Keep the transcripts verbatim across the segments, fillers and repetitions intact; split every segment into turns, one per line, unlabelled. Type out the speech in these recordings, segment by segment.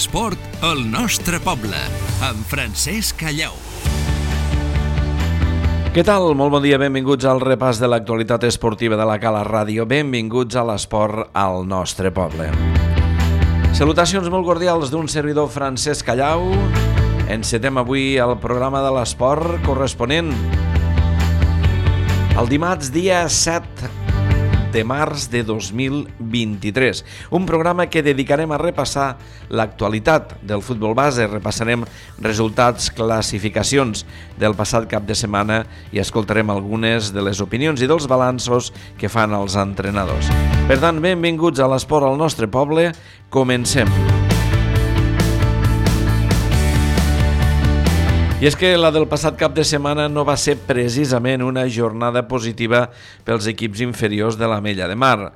L'esport al nostre poble, amb Francesc Callau.
Què tal? Molt bon dia, benvinguts al repàs de l'actualitat esportiva de la Cala Ràdio. Benvinguts a l'esport al nostre poble. Salutacions molt cordials d'un servidor Francesc Callau. Encetem avui el programa de l'esport corresponent el dimarts dia set de març de dos mil vint-i-tres. Un programa que dedicarem a repassar l'actualitat del futbol base. Repassarem resultats, classificacions del passat cap de setmana i escoltarem algunes de les opinions i dels balanços que fan els entrenadors. Per tant, benvinguts a l'esport al nostre poble. Comencem. I és que la del passat cap de setmana no va ser precisament una jornada positiva pels equips inferiors de l'Ametlla de Mar.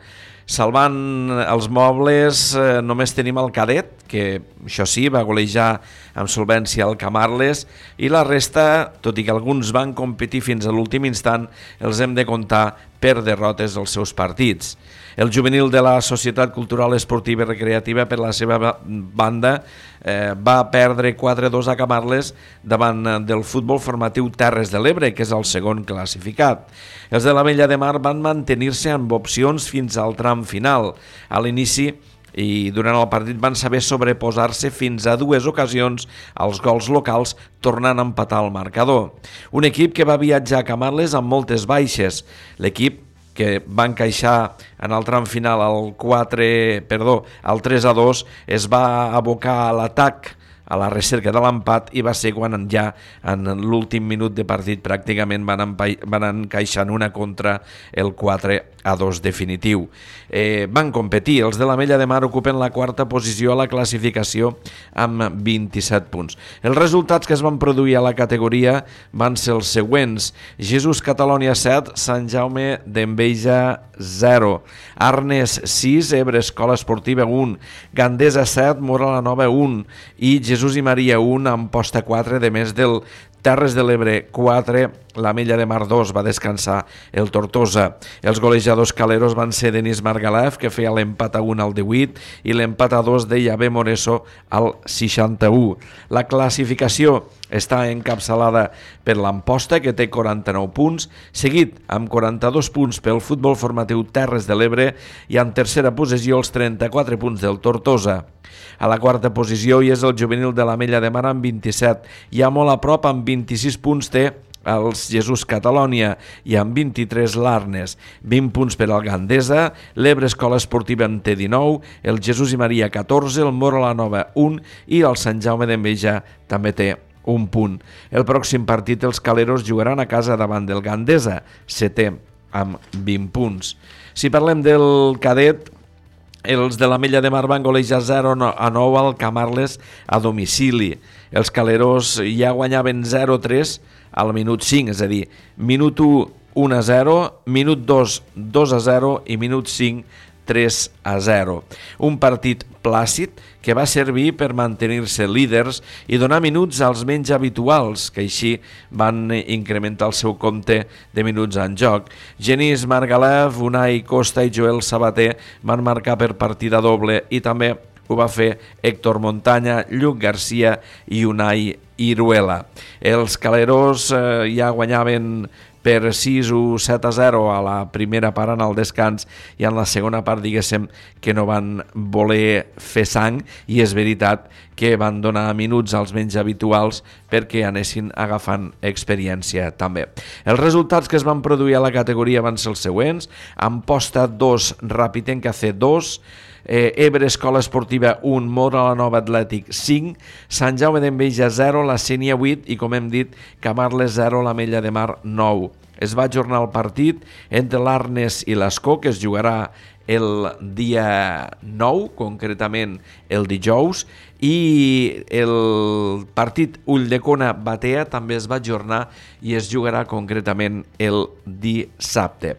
Salvant els mobles, eh, només tenim el Cadet, que això sí, va golejar amb solvència el Camarles, i la resta, tot i que alguns van competir fins a l'últim instant, els hem de comptar per derrotes als seus partits. El juvenil de la Societat Cultural Esportiva i Recreativa, per la seva banda, eh, va perdre quatre a dos a Camarles davant del Futbol Formatiu Terres de l'Ebre, que és el segon classificat. Els de l'Ametlla de Mar van mantenir-se amb opcions fins al tram final. A l'inici i durant el partit van saber sobreposar-se fins a dues ocasions als gols locals, tornant a empatar el marcador. Un equip que va viatjar a Camarles amb moltes baixes. L'equip que va encaixar en el tram final al quatre, perdó, al tres a dos, es va abocar a l'atac, a la recerca de l'empat, i va ser quan ja en l'últim minut de partit pràcticament van, empa- van encaixar en una contra el quatre a dos definitiu. Eh, van competir. Els de l'Ametlla de Mar ocupen la quarta posició a la classificació amb vint-i-set punts. Els resultats que es van produir a la categoria van ser els següents: Jesús Catalònia set, Sant Jaume d'Enveja zero, Arnes sis, Ebre Escola Esportiva un, Gandesa set, Mora la Nova un i Jesús i Maria un, Amposta quatre, de més del Terres de l'Ebre quatre, l'Ametlla de Mar dos, va descansar el Tortosa. Els golejadors caleros van ser Denis Margalef, que feia l'empat a un al divuit, i l'empat a dos de Llave Moreso al seixanta-u. La classificació està encapçalada per l'Amposta, que té quaranta-nou punts, seguit amb quaranta-dos punts pel Futbol Formatiu Terres de l'Ebre i en tercera posició els trenta-quatre punts del Tortosa. A la quarta posició hi és el juvenil de l'Ametlla de Mar amb vint-i-set, ja molt a prop amb vint-i-sis punts té els Jesús Catalònia i amb vint-i-tres l'Arnes, vint punts per al Gandesa, l'Ebre Escola Esportiva en té dinou, el Jesús i Maria catorze, el Mora la Nova un i el Sant Jaume d'Enveja també té un punt. El pròxim partit els caleros jugaran a casa davant del Gandesa, setè amb vint punts. Si parlem del Cadet, els de l'Ametlla de Mar van golejar zero a nou al Camarles a domicili. Els caleros ja guanyaven zero a tres al minut cinc, és a dir, minut u, un a zero, minut dos, dos a zero i minut cinc, tres a zero. Un partit plàcid que va servir per mantenir-se líders i donar minuts als menys habituals, que així van incrementar el seu compte de minuts en joc. Genís Margalef, Unai Costa i Joel Sabater van marcar per partida doble i també ho va fer Héctor Montaña, Lluc Garcia i Unai Iruela. Els caleros eh, ja guanyaven per sis o set a zero a la primera part en el descans i en la segona part diguéssim que no van voler fer sang i és veritat que van donar minuts als menys habituals perquè anessin agafant experiència també. Els resultats que es van produir a la categoria van ser els següents: Amposta dos, Rapitenca C dos, Eh, Ebre Escola Esportiva un, Mora la Nova Atlètic cinc, Sant Jaume d'Enveja zero, la Sénia vuit i, com hem dit, Camarles zero, l'Ametlla de Mar nou. Es va ajornar el partit entre l'Arnes i l'Escó, que es jugarà el dia nou, concretament el dijous, i el partit Ulldecona-Batea també es va ajornar i es jugarà concretament el dissabte.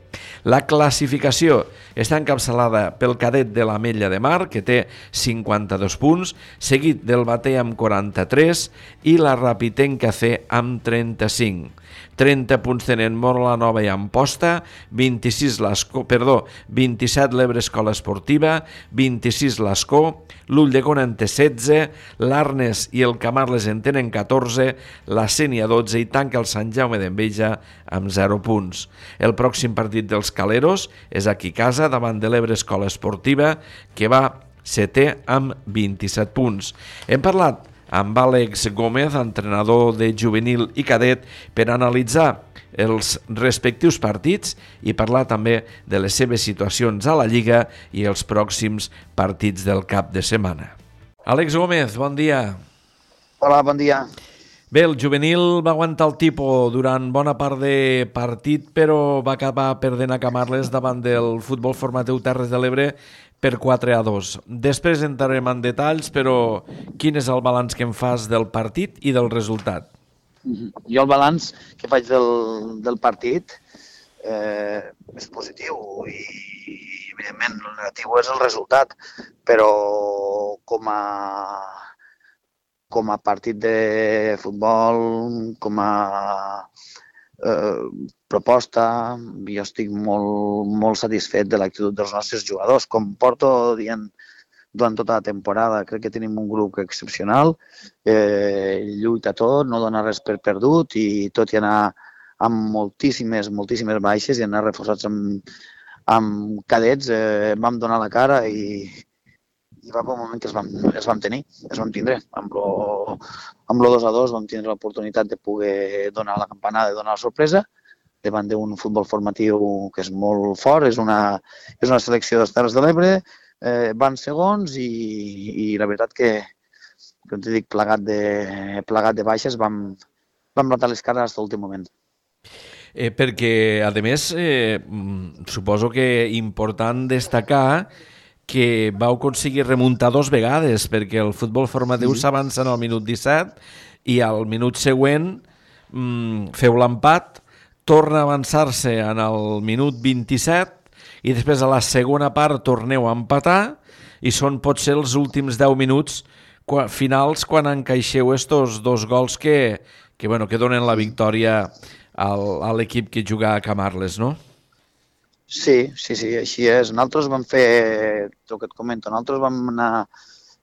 La classificació està encapçalada pel Cadet de l'Ametlla de Mar, que té cinquanta-dos punts, seguit del Batea amb quaranta-tres i la Rapitenca C amb trenta-cinc. trenta punts tenen Móra la Nova i Amposta, vint-i-sis l'Escó, perdó, vint-i-set l'Ebre Escola Esportiva, vint-i-sis l'Escó, l'Ulldecona en té setze, l'Arnes i el Camarles en tenen catorze, la Sénia dotze i tanca el Sant Jaume d'Enveja amb zero punts. El pròxim partit dels Caleros és aquí a casa davant de l'Ebre Escola Esportiva, que va setè amb vint-i-set punts. Hem parlat amb Àlex Gómez, entrenador de juvenil i cadet, per analitzar els respectius partits i parlar també de les seves situacions a la Lliga i els pròxims partits del cap de setmana. Àlex Gómez, bon dia.
Hola, bon dia.
Bé, el juvenil va aguantar el tipus durant bona part de partit, però va acabar perdent a Camarles davant del Futbol Formatiu Terres de l'Ebre per quatre a dos. Després entrarem en detalls, però quin és el balanç que em fas del partit i del resultat?
Jo el balanç que faig del, del partit eh, és positiu i, evidentment, el negatiu és el resultat, però com a com a partit de futbol, com a eh, proposta, jo estic molt, molt satisfet de l'actitud dels nostres jugadors. Com porto dient durant tota la temporada, crec que tenim un grup excepcional, eh, lluita tot, no dona res per perdut i tot i anar amb moltíssimes, moltíssimes baixes i anar reforçats amb, amb cadets, eh, vam donar la cara i i va per un moment que es vam, es vam tenir, es vam tindre. Amb lo, amb lo dos a dos vam tindre l'oportunitat de poder donar la campanada i donar la sorpresa davant d'un futbol formatiu que és molt fort, és una, és una selecció de les Terres de l'Ebre, eh, van segons i, i la veritat que, com t'he dit, plegat de, plegat de baixes, vam, vam plantar les cares fins a l'últim moment.
Eh, perquè, a més, eh, suposo que important destacar que vau aconseguir remuntar dos vegades, perquè el futbol formatiu sí. s'avança en el minut disset i al minut següent mmm, feu l'empat, torna a avançar-se en el minut vint-i-set i després a la segona part torneu a empatar i són potser els últims deu minuts qua, finals quan encaixeu estos dos gols que, que, bueno, que donen la victòria al, a l'equip que juga a Camarles, no?
Sí, sí, sí, així és. Nosaltres vam fer, el que et comento, nosaltres vam anar,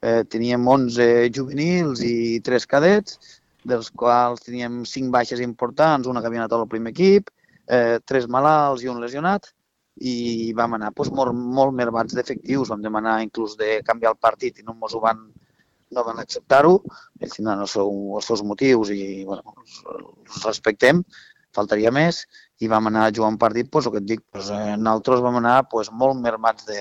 eh, teníem onze juvenils i tres cadets, dels quals teníem cinc baixes importants, una que havia anat al primer equip, eh, tres malalts i un lesionat, i vam anar doncs, molt, molt mermats d'efectius, vam demanar inclús de canviar el partit i no ens ho van, no van acceptar-ho, ells tindran els, seu, els seus motius i bueno, els, els respectem, faltaria més, i vam anar a jugar un partit, doncs, el que et dic, doncs, eh, nosaltres vam anar doncs, molt mermats de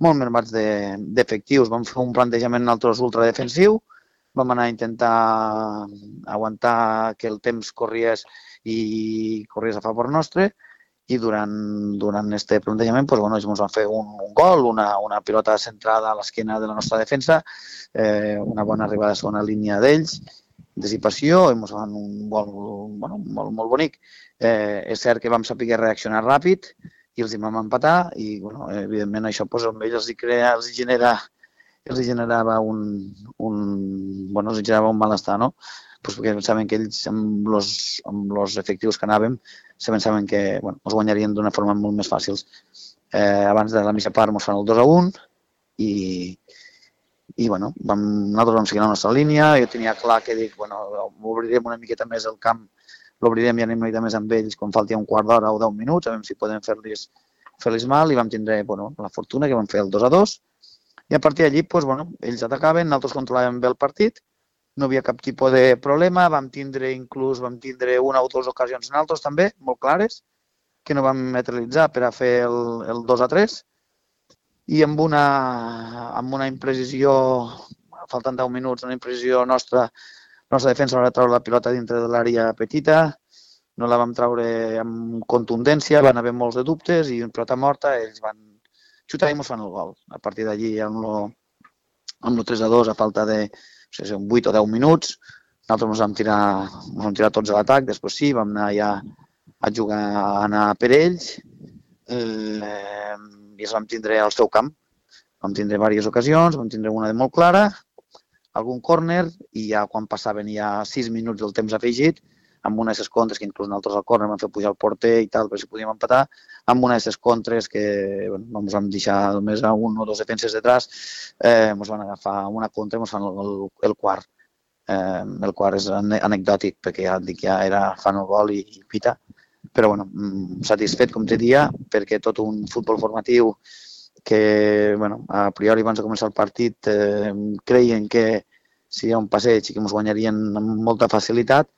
molt mermats d'efectius. De, vam fer un plantejament nosaltres ultradefensiu, vam anar a intentar aguantar que el temps corries i corries a favor nostre, i durant, durant este plantejament doncs, bueno, ens van fer un, un gol, una, una pilota centrada a l'esquena de la nostra defensa, eh, una bona arribada a segona línia d'ells, dissipació, i ens van un gol bueno, molt, molt bonic. Eh, és cert que vam saber reaccionar ràpid i els hi vam empatar i, bueno, evidentment, això pues, amb ells els, crea, els, genera, els generava un, un, bueno, els generava un malestar, no? Pues perquè pensaven que ells, amb els amb los efectius que anàvem, se pensaven que bueno, els guanyarien d'una forma molt més fàcil. Eh, abans de la mitja part ens fan el dos a un i I, bueno, vam, nosaltres vam seguir la nostra línia, jo tenia clar que dic, bueno, obrirem una miqueta més el camp, l'obrirem i anem una miqueta més amb ells quan falti un quart d'hora o deu minuts, a veure si podem fer-los fer-los mal, i vam tindre bueno, la fortuna que vam fer el dos a dos, i a partir d'allí, pues, bueno, ells atacaven, nosaltres controlàvem bé el partit, no havia cap tipus de problema, vam tindre inclús, vam tindre una o dues ocasions nosaltres també, molt clares, que no vam materialitzar per a fer el, el dos a tres, i amb una, amb una imprecisió, faltant deu minuts, una imprecisió nostra, la nostra defensa va treure la pilota dintre de l'àrea petita, no la vam treure amb contundència, van haver molts de dubtes i una pilota morta, ells van xutar i ens fan el gol. A partir d'allí, amb lo, amb lo tres a dos, a falta de no sé, vuit o deu minuts, nosaltres ens vam tirar, ens vam tirar tots a l'atac, després sí, vam anar ja a jugar, a anar per ells, eh, i ens vam tindre al seu camp. Vam tindre diverses ocasions, vam tindre una de molt clara, algun córner, i ja quan passaven ja sis minuts del temps afegit, amb una d'aquestes contres, que inclús nosaltres al córner vam fer pujar el porter i tal, per si podíem empatar, amb una d'aquestes contres que bueno, ens vam deixar només a un o dos defenses detrás, eh, ens van agafar una contra i ens fan el, el, el quart. Eh, el quart és anecdòtic, perquè ja et dic, ja era fan el gol i, i pita, però bueno, satisfet, com te dia, perquè tot un futbol formatiu que, bueno, a priori abans de començar el partit eh, creien que si hi ha un passeig i que ens guanyarien amb molta facilitat,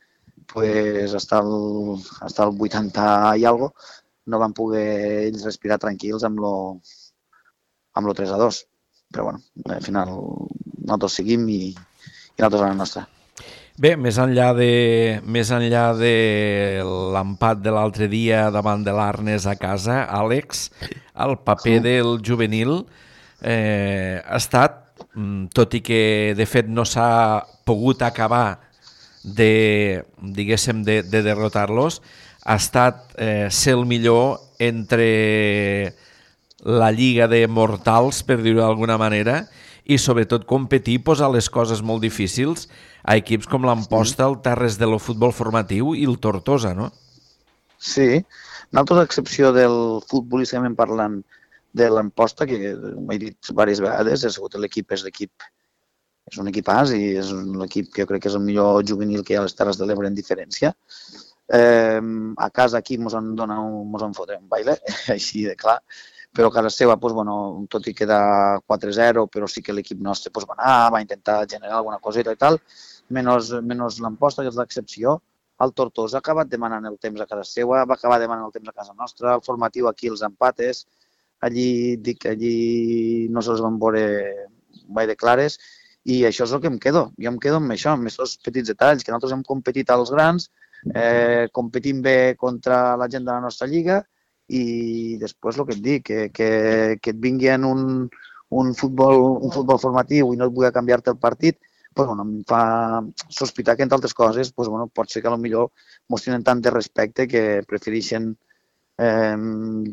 pues, hasta el, hasta el vuitanta i algo no van poder ells respirar tranquils amb lo, amb lo tres a dos. Però bueno, al final nosaltres seguim i, i nosaltres a la nostra.
Bé, més enllà de, més enllà de l'empat de l'altre dia davant de l'Arnes a casa, Àlex, el paper del juvenil eh, ha estat, tot i que de fet no s'ha pogut acabar de, diguéssim, de, de derrotar-los, ha estat eh, ser el millor entre la lliga de mortals, per dir-ho d'alguna manera, i sobretot competir, posar les coses molt difícils a equips com l'Amposta, el Terres de lo futbol formatiu i el Tortosa, no?
Sí, nosaltres, a excepció del futbolísticament parlant de l'Amposta, que m'he dit diverses vegades, ha sigut l'equip, és l'equip, és un equipàs i és un equip que jo crec que és el millor juvenil que hi ha a les Terres de l'Ebre en diferència. Eh, a casa aquí ens han donat un, ens han fotre un baile, així de clar, però a casa seva, pues, bueno, tot i quedar quatre zero, però sí que l'equip nostre pues, va anar, va intentar generar alguna coseta i tal, menys, menys l'Amposta, que és l'excepció. El Tortosa ha acabat demanant el temps a casa seva, va acabar demanant el temps a casa nostra, el formatiu aquí, els empates, allí, dic, allí no se'ls van veure mai de clares, i això és el que em quedo. Jo em quedo amb això, amb aquests petits detalls, que nosaltres hem competit als grans, eh, competim bé contra la gent de la nostra lliga, i després el que et dic, que, que, que et vingui en un, un, futbol, un futbol formatiu i no et vull canviar-te el partit, pues, bueno, em fa sospitar que, entre altres coses, pues, bueno, pot ser que potser mos tenen tant de respecte que prefereixen eh,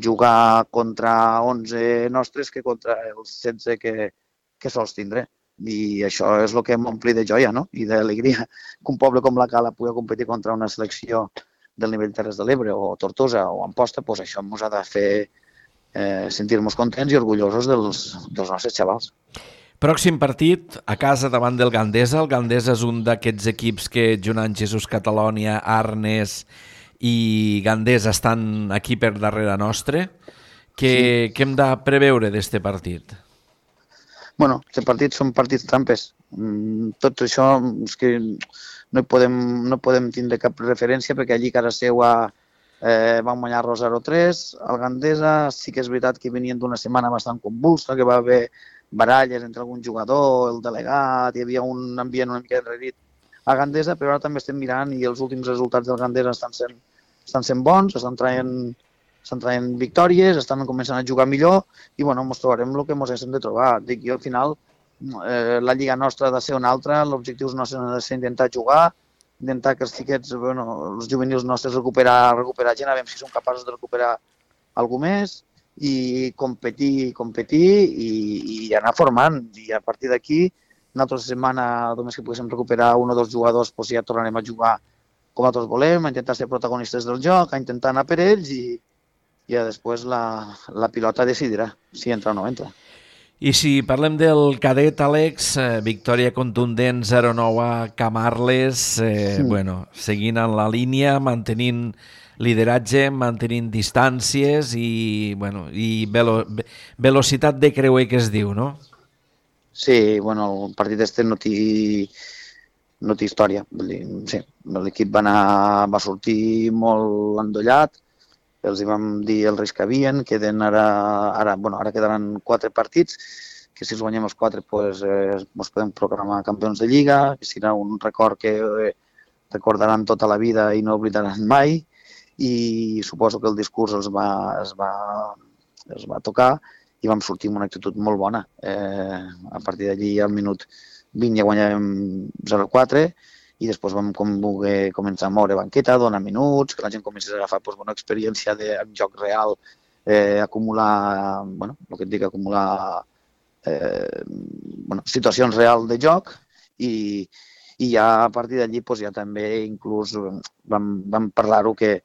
jugar contra onze nostres que contra els setze que, que sols tindré. I això és el que m'ompli de joia, no? I d'alegria que un poble com la Cala pugui competir contra una selecció del nivell Terres de l'Ebre o Tortosa o Amposta, doncs això ens ha de fer eh, sentir-nos contents i orgullosos dels, dels nostres xavals.
Pròxim partit, a casa davant del Gandesa. El Gandesa és un d'aquests equips que junt amb Jesús Catalònia, Arnes i Gandesa estan aquí per darrere nostre. Què, sí. Què hem de preveure d'este partit?
Bueno, aquests partits són partits trampes. Tot això és que no hi podem, no podem tindre cap referència perquè allí a casa seva eh, van guanyar-lo zero tres. El Gandesa sí que és veritat que venien d'una setmana bastant convulsa, que va haver baralles entre algun jugador, el delegat, hi havia un ambient una mica enrerit a Gandesa, però ara també estem mirant i els últims resultats del Gandesa estan sent, estan sent bons, estan traient, estan traient victòries, estan començant a jugar millor i bueno, ens trobarem el que ens hem de trobar. Dic jo, al final, eh, la lliga nostra ha de ser una altra, l'objectiu nostre ha de ser intentar jugar, intentar que els xiquets, bueno, els juvenils nostres recuperar, recuperar gent, a veure si som capaços de recuperar alguna més, i competir, competir i, i anar formant. I a partir d'aquí, una altra setmana, només que poguéssim recuperar un o dos jugadors, doncs ja tornarem a jugar com nosaltres volem, a intentar ser protagonistes del joc, a intentar anar per ells i, i després la, la pilota decidirà si entra o no entra.
I si parlem del cadet, Àlex, eh, victòria contundent zero nou a Camarles, eh, sí. bueno, seguint en la línia, mantenint lideratge, mantenint distàncies i, bueno, i velo, velocitat de creuer que es diu, no?
Sí, bueno, el partit este no té, no té història. Vull dir, sí, l'equip va, anar, va sortir molt endollat, els hi vam dir el risc que havien, queden ara, ara, bueno, ara quedaran quatre partits, que si els guanyem els quatre pues, eh, ens podem programar campions de Lliga, que serà un record que eh, recordaran tota la vida i no oblidaran mai, i suposo que el discurs els va, es, va, els va tocar i vam sortir amb una actitud molt bona. Eh, a partir d'allí, al minut vint ja guanyàvem zero quatre i després vam com voler començar a moure banqueta, donar minuts, que la gent comencés a agafar pues, bona experiència de joc real, eh, acumular, bueno, el que et dic, acumular eh, bueno, situacions reals de joc i, i ja a partir d'allí doncs, ja també inclús vam, vam parlar-ho que,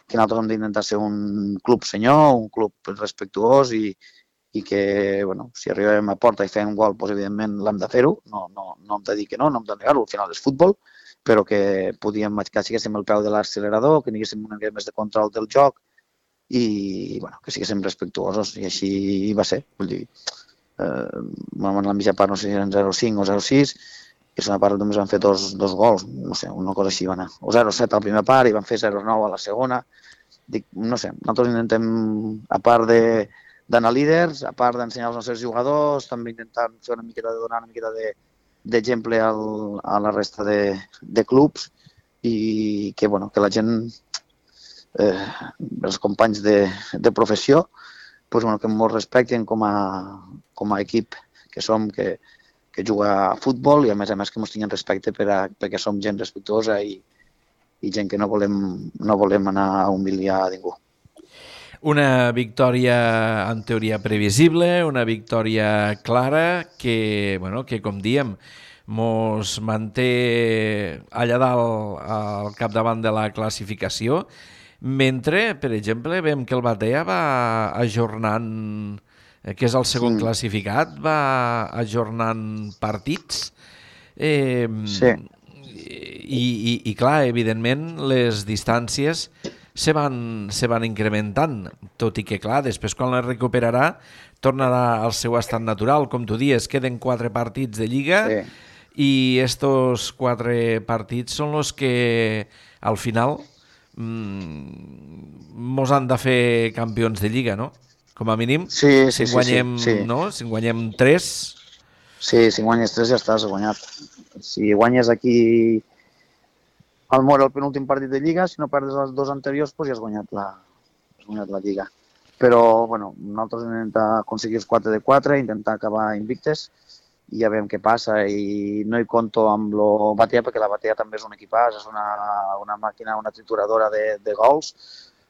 que nosaltres hem d'intentar ser un club senyor, un club respectuós i, i que, bueno, si arribem a porta i fem un gol, doncs, evidentment l'hem de fer-ho, no, no, no hem de dir que no, no hem de negar-ho, al final és futbol, però que podíem, que siguéssim el peu de l'accelerador, que tinguéssim una mica més de control del joc i, bueno, que siguéssim respectuosos, i així va ser, vull dir, eh, en la mitja part no sé si eren zero cinc o zero sis, i a la part només van fer dos, dos gols, no sé, una cosa així va anar. O zero set a la primera part i van fer zero nou a la segona. Dic, no sé, nosaltres intentem, a part de d'anar líders, a part d'ensenyar als nostres jugadors, també intentant fer una miqueta de donar una miqueta de, d'exemple al, a la resta de, de clubs i que, bueno, que la gent, eh, els companys de, de professió, pues, bueno, que ens respecten com a, com a equip que som, que, que juga a futbol i a més a més que ens tinguin respecte per a, perquè som gent respectuosa i, i gent que no volem, no volem anar a humiliar a ningú.
Una victòria en teoria previsible, una victòria clara que, bueno, que com diem, mos manté allà dalt al capdavant de la classificació, mentre, per exemple, veiem que el Batea va ajornant, que és el segon sí. classificat, va ajornant partits. Eh,
sí.
I, i, I clar, evidentment, les distàncies se van, se van incrementant, tot i que, clar, després quan la recuperarà tornarà al seu estat natural. Com tu dies, queden quatre partits de Lliga sí. i estos quatre partits són els que, al final, mmm, mos han de fer campions de Lliga, no? Com a mínim,
sí, sí,
si guanyem,
sí, sí.
no? Si guanyem tres...
Sí, si guanyes tres ja estàs guanyat. Si guanyes aquí al Mora el penúltim partit de Lliga, si no perdes els dos anteriors, doncs ja has guanyat la, has guanyat la Lliga. Però, bueno, nosaltres hem d'intentar aconseguir els quatre de quatre, intentar acabar invictes i ja veiem què passa. I no hi conto amb lo Batea, perquè la Batea també és un equipàs, és una, una màquina, una trituradora de, de gols.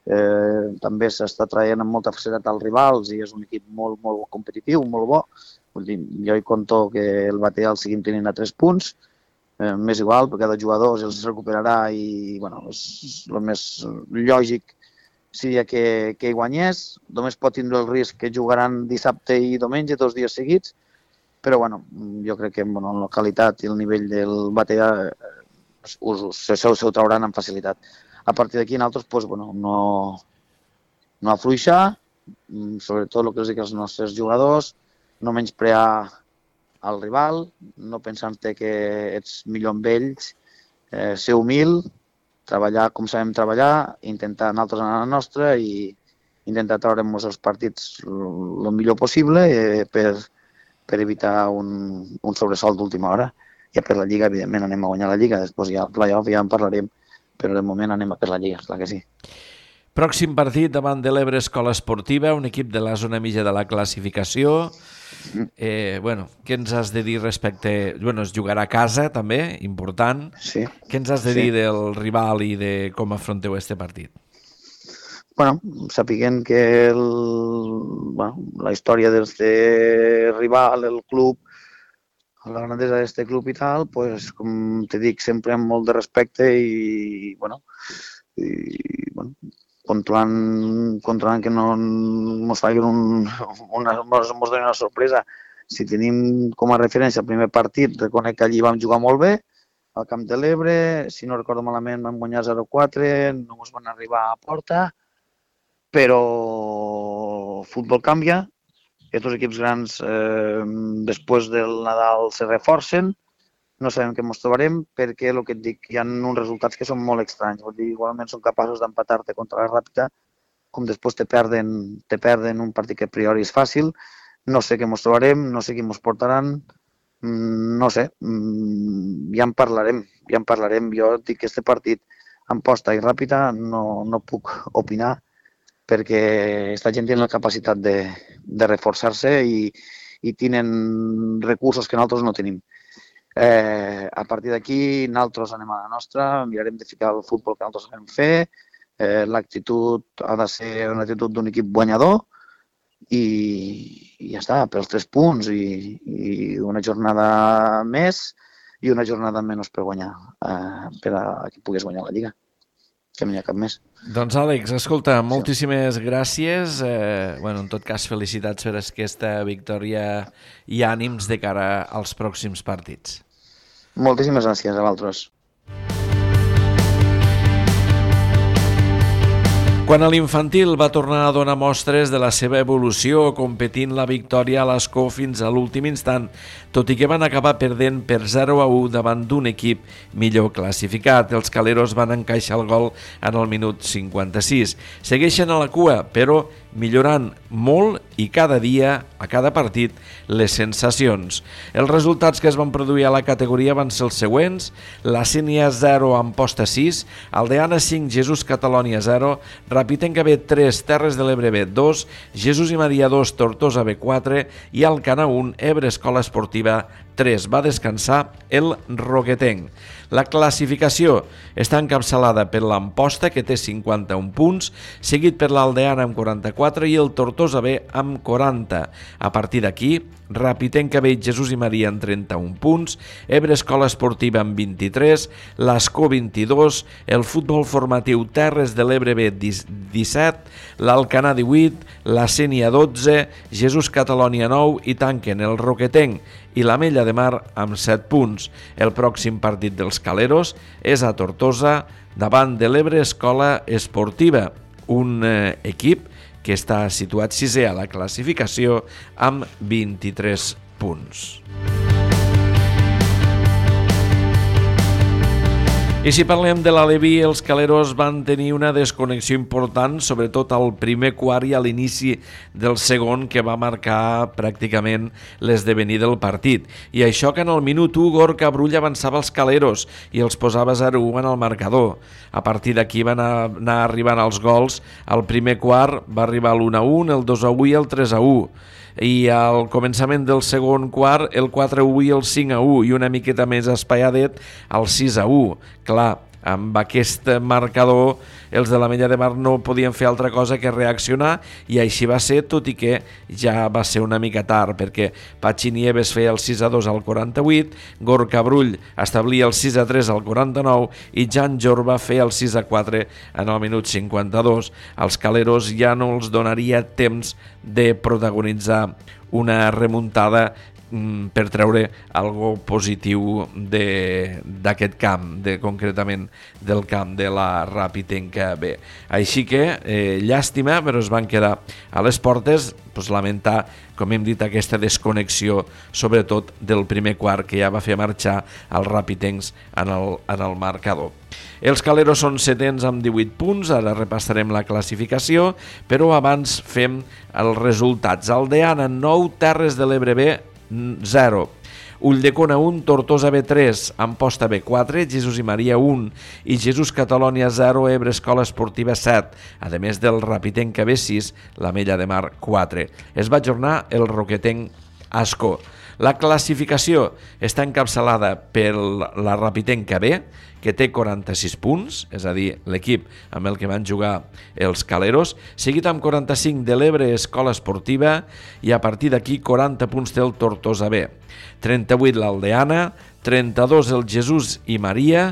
Eh, també s'està traient amb molta facilitat als rivals i és un equip molt, molt competitiu, molt bo. Vull dir, jo hi conto que el Batea el seguim tenint a tres punts, eh, m'és igual, perquè cada jugador els recuperarà i, bueno, és el més lògic seria que, que hi guanyés. Només pot tindre el risc que jugaran dissabte i diumenge, dos dies seguits, però, bueno, jo crec que, bueno, la qualitat i el nivell del Batea eh, us, se, se ho trauran amb facilitat. A partir d'aquí, nosaltres, pues, bueno, no, no afluixar, sobretot el que els dic als nostres jugadors, no menysprear el rival, no pensar-te que ets millor amb ells, eh, ser humil, treballar com sabem treballar, intentar nosaltres anar a la nostra i intentar treure'ns els partits el millor possible eh, per, per evitar un, un sobresalt d'última hora. Ja per la Lliga, evidentment, anem a guanyar la Lliga, després ja al play-off ja en parlarem, però de moment anem a per la Lliga, clar que sí.
Pròxim partit davant de l'Ebre Escola Esportiva, un equip de la zona mitja de la classificació. Eh, bueno, què ens has de dir respecte... Bueno, es jugarà a casa, també, important.
Sí.
Què ens has de
sí.
dir del rival i de com afronteu este partit?
Bueno, sapiguent que el, bueno, la història d'este rival, el club, la grandesa d'este club i tal, pues, com te dic, sempre amb molt de respecte i, bueno, i, bueno controlant, controlant que no ens facin un, una, mos, mos donin una sorpresa. Si tenim com a referència el primer partit, reconec que allí vam jugar molt bé, al Camp de l'Ebre, si no recordo malament vam guanyar zero quatre, no ens van arribar a porta, però el futbol canvia, aquests equips grans eh, després del Nadal se reforcen, no sabem què ens trobarem perquè, el que et dic, hi ha uns resultats que són molt estranys. Vull dir, igualment són capaços d'empatar-te contra la Ràpita, com després te perden, te perden un partit que a priori és fàcil. No sé què ens trobarem, no sé qui ens portaran, no sé, ja en parlarem, ja en parlarem. Jo dic que aquest partit en posta i Ràpita no, no puc opinar perquè aquesta gent té la capacitat de, de reforçar-se i, i tenen recursos que nosaltres no tenim. Eh, a partir d'aquí, nosaltres anem a la nostra, mirarem de ficar el futbol que nosaltres sabem fer, eh, l'actitud ha de ser una actitud d'un equip guanyador i, i ja està, pels tres punts i, i una jornada més i una jornada menys per guanyar, eh, per a que puguis guanyar la Lliga, que no hi ha cap més.
Doncs Àlex, escolta, moltíssimes gràcies. Eh, bueno, en tot cas, felicitats per aquesta victòria i ànims de cara als pròxims partits.
Moltíssimes gràcies a vosaltres.
Quan a l'infantil va tornar a donar mostres de la seva evolució, competint la victòria a l'Escó fins a l'últim instant, tot i que van acabar perdent per zero a u davant d'un equip millor classificat. Els caleros van encaixar el gol en el minut cinquanta-sis. Segueixen a la cua, però millorant molt i cada dia, a cada partit, les sensacions. Els resultats que es van produir a la categoria van ser els següents: la Sénia zero, Amposta sis, Aldeana cinc, Jesús Catalònia zero, Rapitenca B tres, Terres de l'Ebre B dos, Jesús i Maria dos, Tortosa B quatre i Alcanar un, Ebre Escola Esportiva tres. Va descansar el Roquetenc. La classificació està encapçalada per l'Amposta, que té cinquanta-un punts, seguit per l'Aldeana amb quaranta-quatre i el Tortosa B amb quaranta. A partir d'aquí, Rapitenca B, Jesús i Maria amb trenta-un punts, Ebre Escola Esportiva amb vint-i-tres, l'Escó vint-i-dos, el Futbol Formatiu Terres de l'Ebre B disset, l'Alcanar divuit, la Sénia dotze, Jesús Catalònia nou i tanquen el Roquetenc i l'Ametlla de Mar amb set punts. El pròxim partit dels caleros és a Tortosa davant de l'Ebre Escola Esportiva, un eh, equip que està situat sisè a la classificació amb vint-i-tres punts. I si parlem de l'Aleví, els caleros van tenir una desconnexió important, sobretot al primer quart i a l'inici del segon, que va marcar pràcticament l'esdevenir del partit. I això que en el minut u Gorka Brull avançava els caleros i els posava zero a u en el marcador. A partir d'aquí van anar arribant els gols. Al primer quart va arribar l'u a u, el dos a u i el tres a u. I al començament del segon quart el quatre a u i el cinc a u, i una miqueta més espaiadet el sis a u. Clar, amb aquest marcador els de l'Ametlla de Mar no podien fer altra cosa que reaccionar, i així va ser, tot i que ja va ser una mica tard, perquè Patxi Nieves feia el sis a dos al quaranta-vuit, Gorka Brull establia el sis a tres al quaranta-nou i Jan Jorba feia el sis a quatre en el minut cinquanta-dos. Els caleros ja no els donaria temps de protagonitzar una remuntada per treure algo positiu d'aquest camp, de, concretament del camp de la Rapitenca B. Així que, eh, llàstima, però es van quedar a les portes. Pues, lamentar, com hem dit, aquesta desconnexió, sobretot del primer quart, que ja va fer marxar els rapitencs en el, en el marcador. Els caleros són setens amb divuit punts, ara repassarem la classificació, però abans fem els resultats. Aldeana nou, Terres de l'Ebre B zero, Ulldecona un, Tortosa B tres, Amposta B quatre, Jesús i Maria un i Jesús Catalònia zero, Ebre Escola Esportiva set, a més del Rapitenca B sis, l'Ametlla de Mar quatre. Es va ajornar el Roquetenc Ascó. La classificació està encapçalada per la Rapitenca B, que té quaranta-sis punts, és a dir, l'equip amb el que van jugar els caleros, seguit amb quaranta-cinc de l'Ebre Escola Esportiva, i a partir d'aquí quaranta punts té el Tortosa B, trenta-vuit l'Aldeana, trenta-dos el Jesús i Maria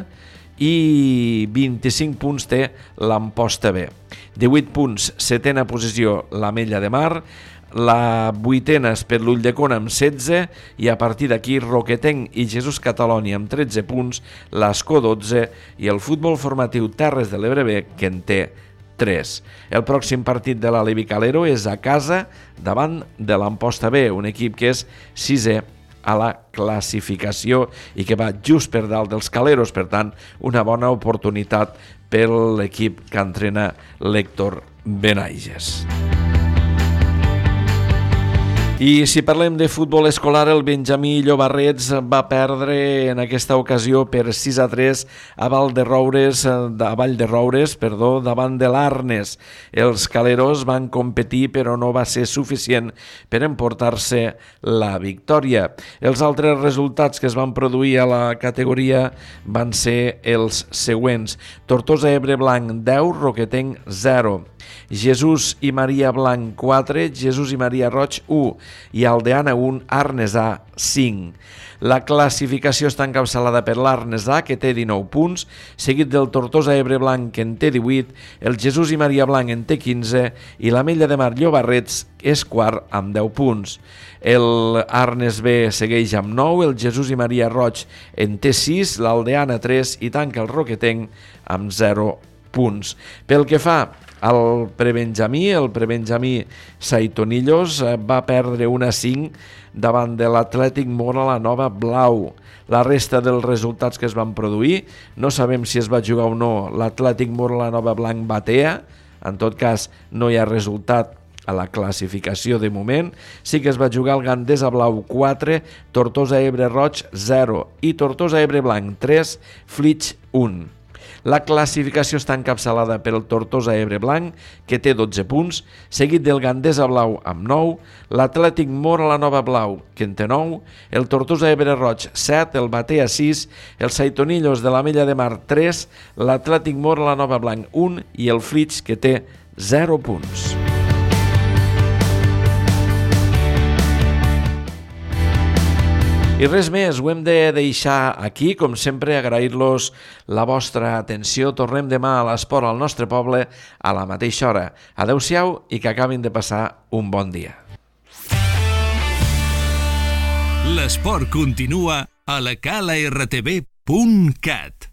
i vint-i-cinc punts té l'Amposta B. divuit punts, setena posició l'Ametlla de Mar, la vuitena és per l'Ulldecona amb setze, i a partir d'aquí Roquetenc i Jesús Catalònia amb tretze punts, l'Escó dotze i el Futbol Formatiu Terres de l'Ebre B, que en té tres. El pròxim partit de l'Aleví Calero és a casa davant de l'Amposta B, un equip que és sisè a la classificació i que va just per dalt dels caleros, per tant, una bona oportunitat per l'equip que entrena l'Héctor Benaiges. I si parlem de futbol escolar, el Benjamí Llobarrets va perdre en aquesta ocasió per sis a tres a Vall de Roures, a Vall de Roures, perdó, davant de l'Arnes. Els caleros van competir, però no va ser suficient per emportar-se la victòria. Els altres resultats que es van produir a la categoria van ser els següents: Tortosa Ebre Blanc deu, Roquetenc zero. Jesús i Maria Blanc quatre, Jesús i Maria Roig u i Aldeana un, Arnesà cinc. La classificació està encapçalada per l'Arnesà, que té dinou punts, seguit del Tortosa Ebre Blanc, que en té divuit, el Jesús i Maria Blanc en té quinze i l'Ametlla de Mar Llobarrets és quart amb deu punts. El Arnes B segueix amb nou, el Jesús i Maria Roig en té sis, l'Aldeana tres i tanca el Roquetenc amb zero punts. Pel que fa al prebenjamí, el prebenjamí Saitonillos va perdre un a cinc davant de l'Atlètic Mora la Nova Blau. La resta dels resultats que es van produir, no sabem si es va jugar o no l'Atlètic Mora la Nova Blanc Batea, en tot cas no hi ha resultat a la classificació de moment. Sí que es va jugar el Gandesa Blau quatre, Tortosa Ebre Roig zero i Tortosa Ebre Blanc tres, Flix un. La classificació està encapçalada per el Tortosa Ebre Blanc, que té dotze punts, seguit del Gandesa Blau amb nou, l'Atlètic Mora la Nova Blau, que en té nou, el Tortosa Ebre Roig set, el Batea sis, el Saitonillos de l'Ametlla de Mar tres, l'Atlètic Mora la Nova Blanc un i el Flix, que té zero punts. I res més, ho hem de deixar aquí, com sempre, agrair-los la vostra atenció. Tornem demà a l'Esport al nostre poble a la mateixa hora. Adéu-siau i que acabin de passar un bon dia.
L'esport continua a la cala r t v punt cat.